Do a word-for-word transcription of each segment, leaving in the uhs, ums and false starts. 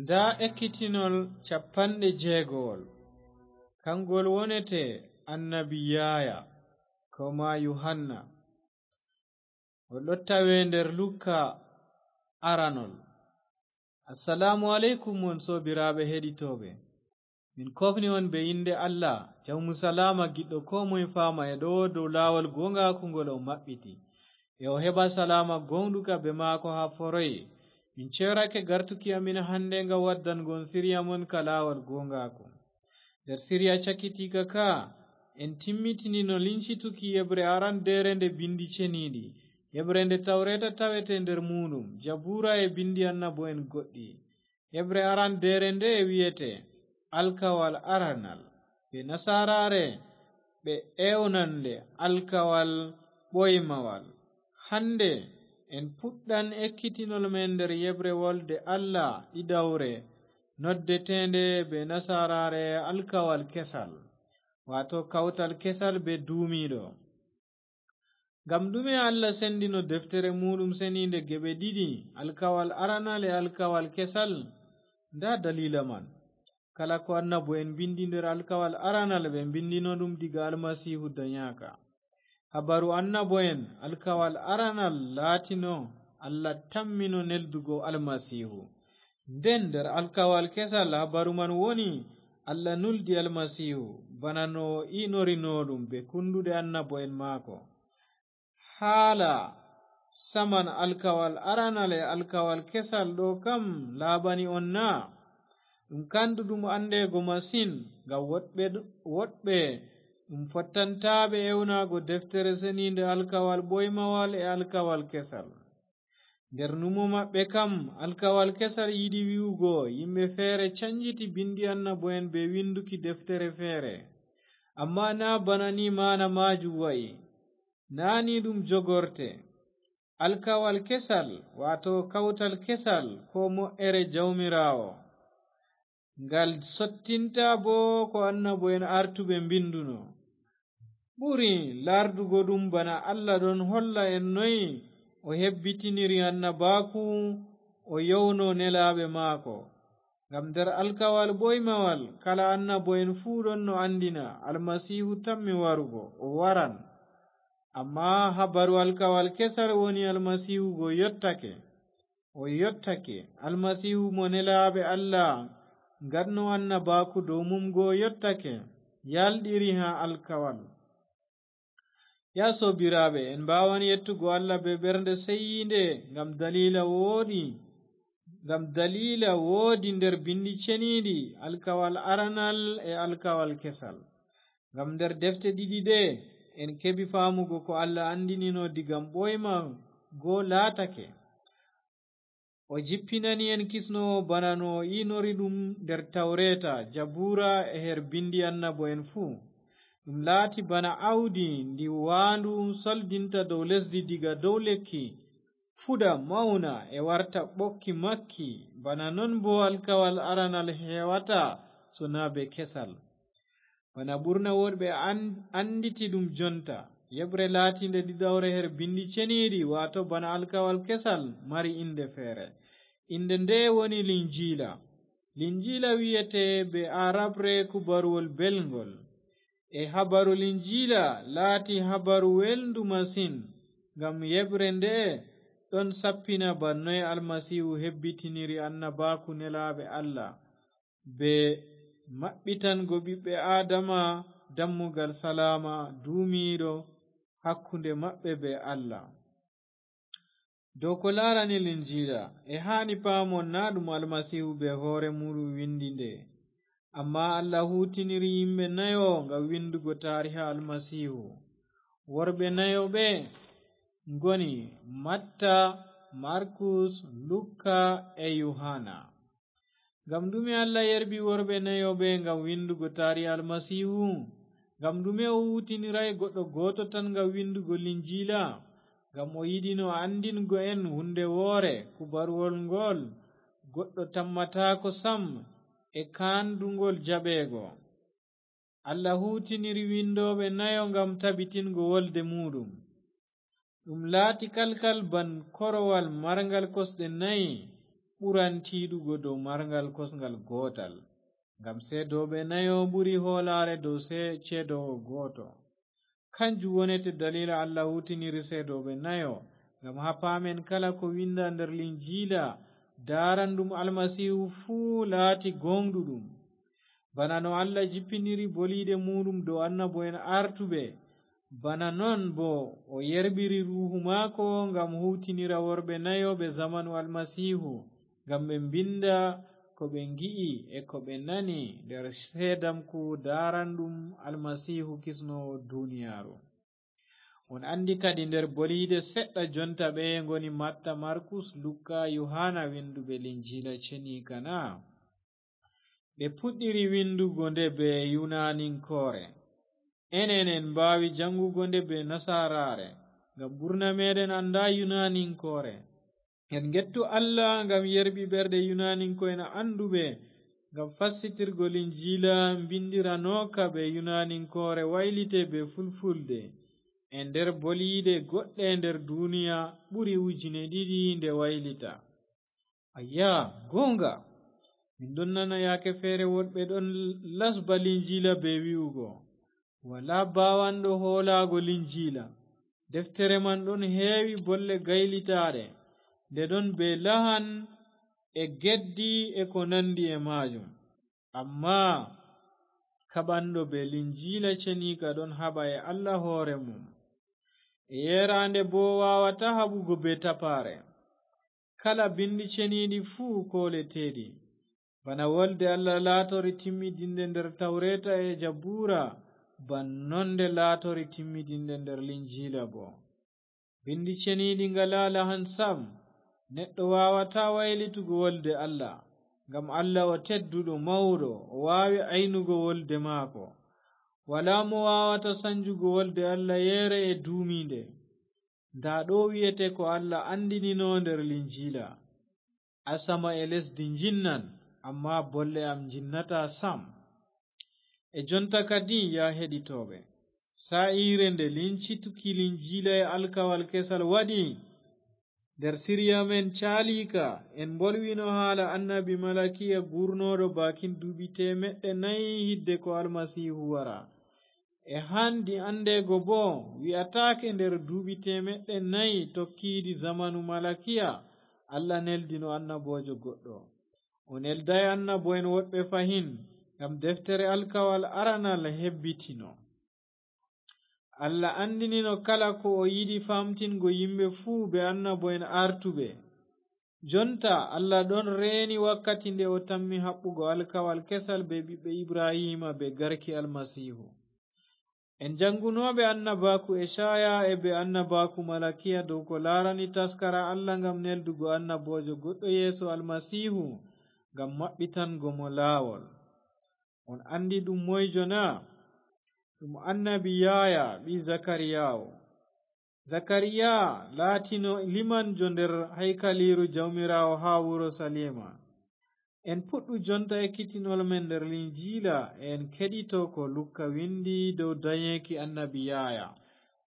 Ndaa ekkitinol cappanɗe jeegowol, kangol wonete annabi Yaaya, ko maa Yuhanna. O ɗon tawe nder Lukka aranol. Assalaamu aleykum, on soobiraaɓe heɗitooɓe. Min koofni on bee innde Allah, jawmu salaama, giɗɗo koo moy faama e ɗowo dow laawol gooŋgaaku ngol o maɓɓiti, e o heɓa salaama gooŋɗuka bee maako haa foroy. Min ceerake gartuki amin hannde ngam waddango on siriya mon ka laawol gooŋgaaku. Nder siriya cakitiika ka, en timmitini no lincituki yeɓre arandeere nde Binndi Ceniiɗi, yeɓre nde Tawreeta tawete nder muuɗum, Jabuura e binndi annabo'en goɗɗi. Heɓre arandeere nde wi'ete Alkawal Aranal. Bee nasaaraare ɓe ewnan nde Alkawal Ɓoymawal. Hannde en puɗɗan ekkitinol men nder yeɓre wolde Allah ɗiɗawre, noddeteende bee nasaaraare Alkawal Kesal, waato Kawtal Kesal bee Duumiiɗo. Ngam ɗume Allah sendino deftere muuɗum seniinde geɓe ɗiɗi, Alkawal Aranal e Alkawal Kesal? Ndaa daliila man. Kala ko annabo'en mbinndi nder Alkawal Aranal, ɓe mbinndino ɗum diga Almasiihu danyaaka. Habaru annabo'en, Alkawal Aranal laatino Allah tammino neldugo Almasiihu. Nden nder Alkawal Kesal, habaru man woni Allah nuldi Almasiihu, bana no o inorino ɗum bee kunnduɗe annabo'en maako. Haala saman Alkawal Aranal e Alkawal Kesal ɗo kam laaɓani on na? Ɗum kanduɗum andeego masin, ngam woɗɓe, woɗɓe ɗum fottantaaɓe ewnaago deftere seniinde Alkawal Ɓoymawal e Alkawal Kesal. Nder numo maɓɓe kam, Alkawal Kesal yiɗi wi'ugo yimɓe feere canjiti binndi annabo'en bee winduki deftere feere. Ammaa naa bana ni maana maajum wa'i. Naa ni ɗum jogorte. Alkawal Kesal, waato Kawtal Kesal, ko mo'ere Jawmiraawo. Ngal sottinta boo ko annabo'en artuɓe mbinduno. Ɓuri laardugo ɗum bana Allah ɗon holla en noy o hebbitiniri annabaaku, o yowno nelaaɓe maako. Ngam nder Alkawal Ɓoymawal, kala annabo'en fuu ɗon no anndina Almasiihu tammi warugo, o waran. Ammaa habaru Alkawal Kesal woni Almasiihu go yottake. O yottake, Almasiihu mo nelaaɓe Allah ngaɗno annabaaku dow mum go yottake, yalɗiri haa alkawal. Yaa soobiraaɓe, en mbaawan yettugo Allah bee ɓernde seyiinde ngam daliila wooɗi, ngam daliila woodi nder Binndi Ceniiɗi, Alkawal Aranal e Alkawal Kesal. Ngam nder defte ɗiɗi ɗe, en keɓi faamugo ko Allah anndinino diga ɓooyma go laatake. O jippinani en kisnoowo bana no o inori ɗum nder Tawreeta, Jabuura e her binndi annabo'en fuu. Ɗum laati bana awdi ndi waandu soldinta dow lesdi diga dow lekki, fuɗa, mawna e warta ɓokki makki, bana non boo alkawal aranal heewata sonaa bee kesal. Bana ɓurna woɗɓe an-, annditi ɗum jonta, yeɓre laatiinde ɗiɗawre her Binndi Ceniiɗi, waato bana alkawal kesal, mari innde feere. Innde nde woni Linjiila. Linjiila wi'ete bee Aarabre Kubaruwol Belŋgol. E habaru Linjiila laati habaru welndu masin, ngam yeɓre nde ɗon sappina bana noy Almasiihu hebbitiniri annabaaku nelaaɓe Allah, bee maɓɓitango ɓiɓɓe Aadama dammugal salaama duumiiɗo hakkunde maɓɓe bee Allah. Dow ko laarani Linjiila, e haani paamon naa ɗum Almasiihu bee hoore muuɗum windi nde, ammaa Allah huutiniri yimɓe nayo ngam windugo taariha Almasiihu. Worɓe nayo ɓe ngoni Matta, Markus, Lukka e Yuhanna. Ngam ɗume Allah yerɓi worɓe nayo ɓe ngam windugo taariha Almasiihu? Ngam ɗume o huutiniray goɗɗo gooto tan ngam windugo Linjiila? Ngam o yiɗino anndingo en huunde woore, kubaruwol ngol goɗɗo tammataako sam e kaanduŋgol jaɓeego. Allah huutiniri windooɓe nayo ngam tabitingo wolde muuɗum. Ɗum laati kalkal ban korowal marŋgal kosɗe nayi, ɓuran tiiɗugo dow marngal kosngal gootal, ngam seedooɓe nayo ɓuri hoolaare dow se-, ceedoowo gooto. Kanjum wonete daliila Allah huutiniri seedooɓe nayo, ngam haa paamen kala ko winda nder Linjiila, daarandum Almasiihu fuu laati gooŋɗuɗum. Bana no Allah jippiniri boliiɗe muuɗum dow annabo'en artuɓe, bana non boo o yerɓiri Ruuhu maako ngam huutinira worɓe nayo ɓe zamanu Almasiihu, ngam ɓe mbinda ko ɓe ngi'i e ko ɓe nani nder seedamku daaranɗum Almasiihu kisnoowo duniyaaru. On anndi kadi nder boliiɗe seɗɗa jonta ɓeye ngoni Matta, Markus, Lukka, Yuhaana winduɓe Linjiila Ceniika na? Ɓe puɗɗiri windugo nde bee Yunaninkoore. Enen en mbaawi jaŋgugo nde bee Nasaaraare, ngam ɓurna meeɗen anndaa Yunaninkoore. En ngettu Allah ngam yerɓi ɓerɗe Yunaninko'en annduɓe, ngam fassitirgo Linjiila mbindiranooka bee Yunaninkoore waylite bee Fulfulde. E nder boliiɗe goɗɗe nder duniya ɓuri ujine ɗiɗi nde waylita. Ayya, gooŋga! Min ɗon nana yaake feere woɗɓe ɗon lasba Linjiila bee wi'ugo, "Walaa baawanɗo hoolaago Linjiila. Deftere man ɗon heewi bolle gaylitaaɗe, nde ɗon bee lahan e geddi e ko nanndi e maajum." Ammaa kaɓanɗo bee Linjiila Ceniika ɗon haɓa e Allah hoore mum. E yeeraande boo waawataa haɓugo bee tapaare. Kala Binndi Ceniiɗi fuu kooleteeɗi. Bana Wolde Allah laatori timmidinde nder Tawreeta e Jabuura, ban non nde laatori timmidinde nder Linjiila boo. Binndi Ceniiɗi ngalaa lahan sam. Neɗɗo waawataa waylitugo Wolde Allah, ngam Allah o tedduɗo, mawɗo, o waawi aynugo Wolde maako. Walaa mo waawata sanjugo Wolde Allah yeere e duumiinde. Ndaa ɗo wi'ete ko Allah anndinino nder Linjiila, "Asama e lesdi njinnan, ammaa bolle am njinnataa sam." E jonta kadi, yaa heɗitooɓe, saa'iire nde lincituki Linjiila e Alkawal Kesal waɗi, nder Siriya men caaliika, en mbolwino haala annabi Malakiya guurnooɗo baakin duuɓi teemeɗɗe nayi hidde ko Almasiihu wara. E handi andeego boo, wi'ataake nder duuɓi teemeɗɗe nayi tokkiiɗi zamanu Malakiya, Allah neldino annaboojo goɗɗo. O neldaay annabo'en woɗɓe fahin, ngam deftere alkawal aranal hebbitino. Allah anndinino kala ko o yiɗi faamtingo yimɓe fuu bee annabo'en aartuɓe. Jonta, Allah ɗon reeni wakkati nde o tammi haɓɓugo alkawal kesal bee ɓiɓɓe Ibrahiima bee garki Almasiihu. En janngunooɓe annabaaku Ecaaya e bee annabaaku Malakiya dow ko laarani taskara Allah ngam neldugo annaboojo goɗɗo yeeso Almasiihu, ngam maɓɓitango mo laawol. On anndi ɗum moyjo na? Ɗum annabi Yahaya ɓii Zakariyaawo. Zakariya laatino limanjo nder haykaliiru Jawmiraawo haa Urusaliima. En puɗɗu jonta ekkitinol men nder Linjiila, e en keɗito ko Lukka windi dow danyeeki annabi Yahaya.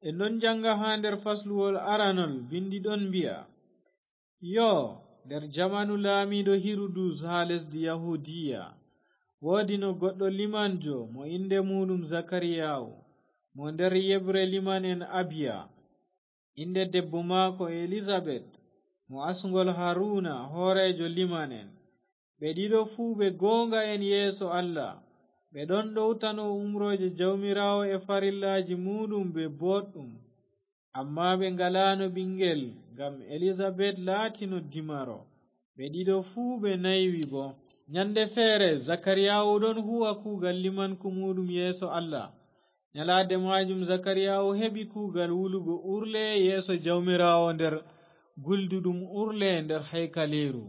En ɗon jannga haa nder fasluwol aranol, bindi ɗon mbi'a, Yoo, nder jamanu laamiiɗo Hirudus haa lesdi Yahudiya, woodino goɗɗo limanjo mo innde muuɗum Zakariyaawu, mo nder yeɓre liman'en Abiya. Innde debbo maako Elizabet, mo asŋgol Haruna, hooreejo liman'en. Ɓe ɗiɗo fuu ɓe gooŋga'en yeeso Allah. Ɓe ɗon ɗowtano umrooje Jawmiraawo e farillaaji muuɗum bee booɗɗum. Ammaa ɓe ngalaano ɓiŋngel, ngam Elizabet laatino dimaro. Ɓe ɗiɗo fuu ɓe naywi boo. Nyannde feere, Zakariyaawu ɗon huuwa kuugal limanku muuɗum yeeso Allah. Nyalaade maajum, Zakariyaawu heɓi kuugal wulugo urle yeeso Jawmiraawo nder gulduɗum urle nder haykaliiru.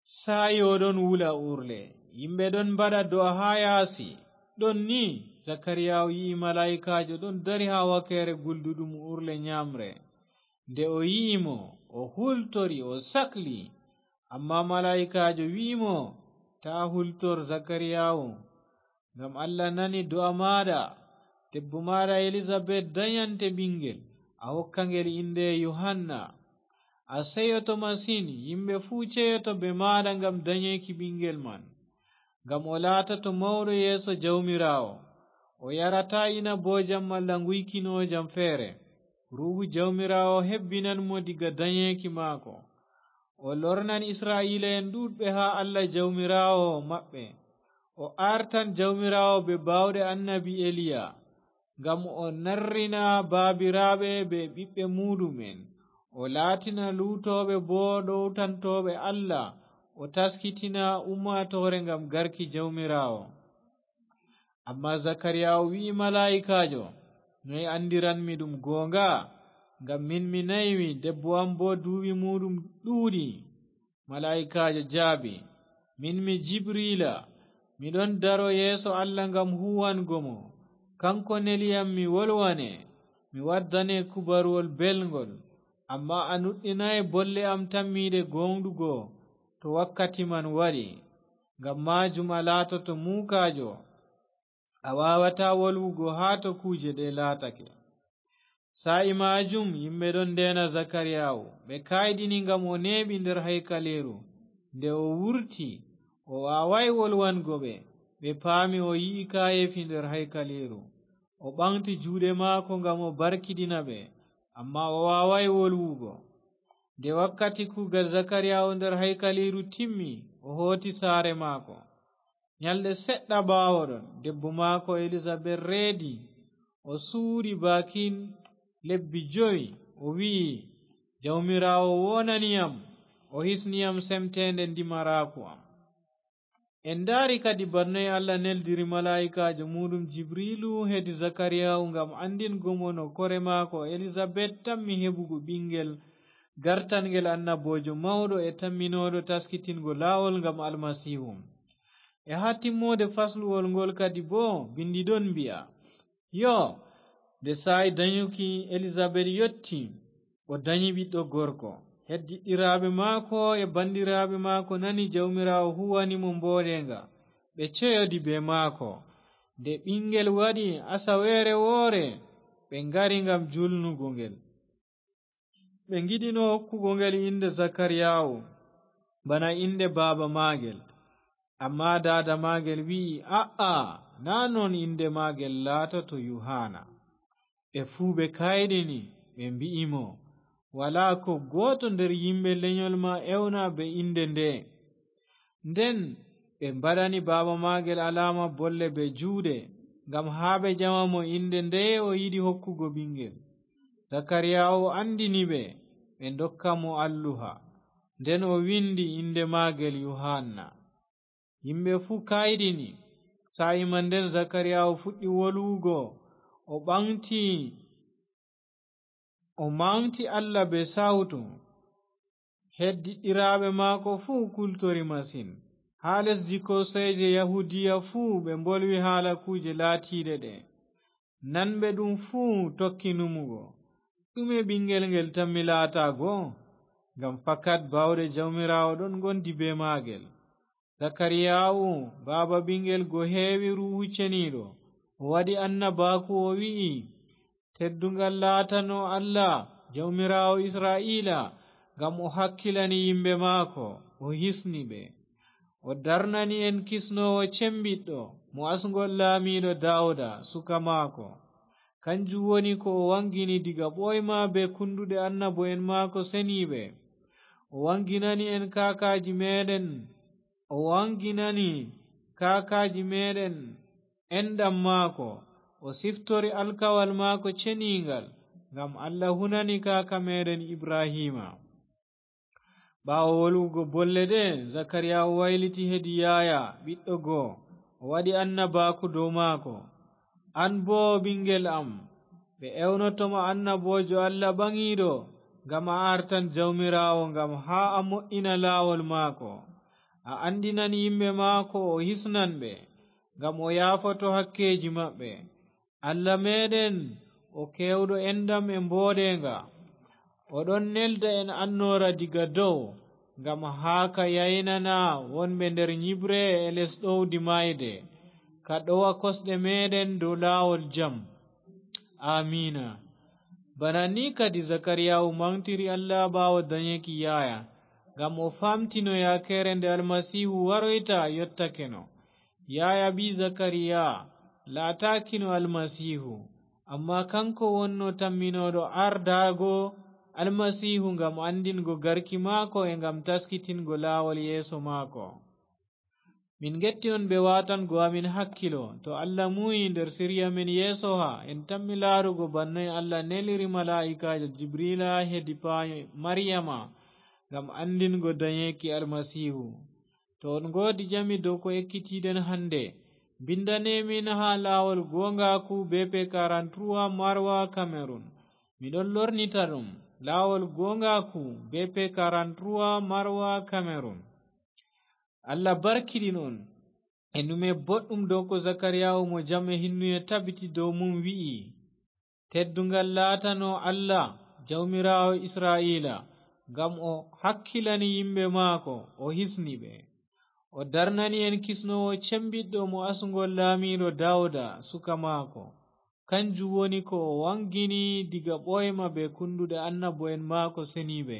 Saa'i o ɗon wula urle, yimɓe ɗon mbaɗa do'a haa yaasi. Ɗon ni, Zakariyaawu yi'i malaa'ikaajo ɗon dari haa wakeere gulduɗum urle nyaamre. Nde o yi'i mo, o hultori, o sakli. Ammaa malaa'ikaajo wi'i mo, "Taa hultor, Zakariyaawu, ngam Allah nani do'a maaɗa. Debbo maaɗa Elizabet danyante ɓiŋngel, a hokka ngel innde Yuhanna. A seyoto masin, yimɓe fuu ceyoto bee maaɗa ngam danyeeki ɓiŋngel man. Ngam o laatoto mawɗo yeeso Jawmiraawo. O yarataa inaboojam malla nguykinoojam feere. Ruuhu Jawmiraawo hebbinan mo diga danyeeki maako. O lornan Isra'iila'en ɗuuɗɓe haa Allah Jawmiraawo maɓɓe. O aartan Jawmiraawo bee baawɗe annabi Eliya, ngam o narrina baabiraaɓe bee ɓiɓɓe muuɗum'en. O laatina luutooɓe boo ɗowtantooɓe Allah, o taskitina ummaatoore ngam garki Jawmiraawo. Ammaa Zakariyaahu wi'i malaa'ikaajo, "Noy anndiranmi ɗum gooŋga? Ngam min mi naymi, debbo am boo duuɓi muuɗum ɗuuɗi." Malaa'ikaajo jaabi, "Min mi Jibriila, mi ɗon daro yeeso Allah ngam huuwango mo. Kaŋko neli yam mi wolwane, mi waddane kubaruwol belŋgol. Ammaa a nuɗɗinaay bolle am tammiiɗe gooŋɗugo to wakkati man waɗi. Ngam maajum a laatoto muukaajo, a waawataa wolwugo haa to kuuje ɗe laatake." Saa'i maajum yimɓe ɗon ndeena Zakariyaahu, ɓe kayɗini ngam o neeɓi nder haykaliiru. Nde o wurti, o waawaay wolwango ɓe, ɓe paami o yi'i kaayeefi nder haykaliiru. O ɓaŋgti juuɗe maako ngam o barkiɗina ɓe, ammaa o waawaay wolwugo. Nde wakkati kuugal Zakariyaahu nder haykaliiru timmi, o hooti saare maako. Nyalɗe seɗɗa ɓaawoɗon, debbo maako Elizabet reedi. O suuɗi baakin lebbi jowi, o wi'i, "Jawmiraawo woonani yam, o hisni yam semteende ndimaraaku am." En ndaari kadi bana noy Allah neldiri malaa'ikaajo muuɗum Jibriilu hedi Zakariyaahu ngam anndingo mo no kore maako Elizabet tammi heɓugo ɓiŋngel gartanŋgel annaboojo mawɗo e tamminooɗo taskitingo laawol ngam Almasiihu. E haa timmoode fasluwol ngol kadi boo, binndi ɗon mbi'a, "Yoo, nde saa'i danyuki Elizabet yotti, o danyi ɓiɗɗo gorko. Heddiɗɗiraaɓe maako e banndiraaɓe maako nani Jawmiraawo huuwani mo mbooɗeeŋga. Ɓe ceyodi bee maako. Nde ɓiŋngel waɗi asaweere woore, ɓe ngari ngam julnugo ngel. Ɓe ngiɗino hokkugo ngel innde Zakariyaahu, bana innde baaba maagel. Ammaa daada maagel wi'i, 'A'a, naa non innde maagel laatoto Yuhaana.' Ɓe fuu ɓe kayɗini, ɓe mbi'i mo, 'Walaa ko gooto nder yimɓe lenyol ma ewna bee innde nde.' Nden ɓe mbaɗani baaba maagel alaama bolle bee juuɗe, ngam haa ɓe ƴama mo innde ndeye o yiɗi hokkugo ɓiŋngel. Zakariyaahu anndini ɓe, ɓe ndokka mo alluha. Nden o winndi innde maagel Yuhanna. Yimɓe fuu kayɗini. Saa'i man nden Zakariyaahu fuɗɗi wolwugo, o ɓaŋgti, o maŋgti Allah bee sawtu. Heddiɗɗiraaɓe maako fuu kultori masin. Haa lesdi kooseeje Yahuudiya fuu ɓe mbolwi haala kuuje laatiiɗe ɗe. Nanɓe ɗum fuu tokki numugo, "Ɗume ɓiŋngel ngel tammi laataago?" Ngam fakat baawɗe Jawmiraawo ɗon ngondi bee maagel. Zakariyaahu, baaba ɓiŋngel go heewi Ruuhu Ceniiɗo, o waɗi annabaaku, o wi'i, "Tedduŋgal laatano Allah, Jawmiraawo Isra'iila, ngam o hakkilani yimɓe maako, o hisni ɓe. O darnani en kisnoowo cembiɗɗo, mo asŋgol laamiiɗo Daawuda, suka maako. Kanjum woni ko o waŋgini diga ɓooyma bee kunduɗe annabo'en maako seniiɓe. O waŋginani en kaakaaji meeɗen, o waŋginani kaakaaji meeɗen enɗam maako. O siftori alkawal maako ceniiŋgal, ngam Allah hunani kaaka meeɗen Ibrahiima." Ɓaawo wolwugo bolle ɗe, Zakariyaahu wayliti hedi Yahaya, ɓiɗɗo go, o waɗi annabaaku dow maako. "An boo, ɓiŋngel am, ɓe ewnoto ma annaboojo Allah ɓaŋiiɗo, ngam a aartan Jawmiraawo, ngam haa a mo'ina laawol maako. A anndinan yimɓe maako, o hisnan ɓe, ngam o yaafoto hakkeeji maɓɓe. Allah meeɗen, o keewɗo enɗam e mbooɗeeŋga. O ɗon nelda en annoora diga dow, ngam haa ka yaynana wonɓe nder nyiɓre e les ɗowdi maayde, ka ɗowa kosɗe meeɗen dow laawol jam." Aamiina. Bana ni kadi Zakariyaahu maŋgtiri Allah ɓaawo danyeeki Yahaya, ngam o faamtino yakeere nde Almasiihu waroyta yottakeno. Yahaya ɓii Zakariya laataakino Almasiihu, ammaa kaŋko wonno tamminooɗo ardaago Almasiihu ngam anndingo garki maako e ngam taskitingo laawol yeeso maako. Min ngetti on bee waatango amin hakkilo. To Allah muuyi nder sirya men yeesoha, en tammi laarugo bannoy Allah neliri malaa'ikaajo Jibriila hedi paayo Maryama ngam anndingo danyeeki Almasiihu. To on ngoodi jami dow ko ekkitiiɗen hannde, mbindane min haa laawol gooŋgaaku B P quarante-trois Marwa Cameroon. Mi ɗon lornita ɗum, laawol gooŋgaaku B P quarante-trois Marwa Cameroon. Allah barkiɗin on e nume boɗɗum dow ko Zakariyaahu mo jam e hinnuye tabiti dow mum wi'i, "Tedduŋgal laatano Allah, Jawmiraawo Isra'iila, ngam o hakkilani yimɓe maako, o hisni ɓe. O darnani en kisnoowo cembiɗɗo mo asŋgol laamiiɗo Dawuda, suka maako. Kanjum woni ko o waŋgini diga ɓooyma bee kunduɗe annabo'en maako seniiɓe,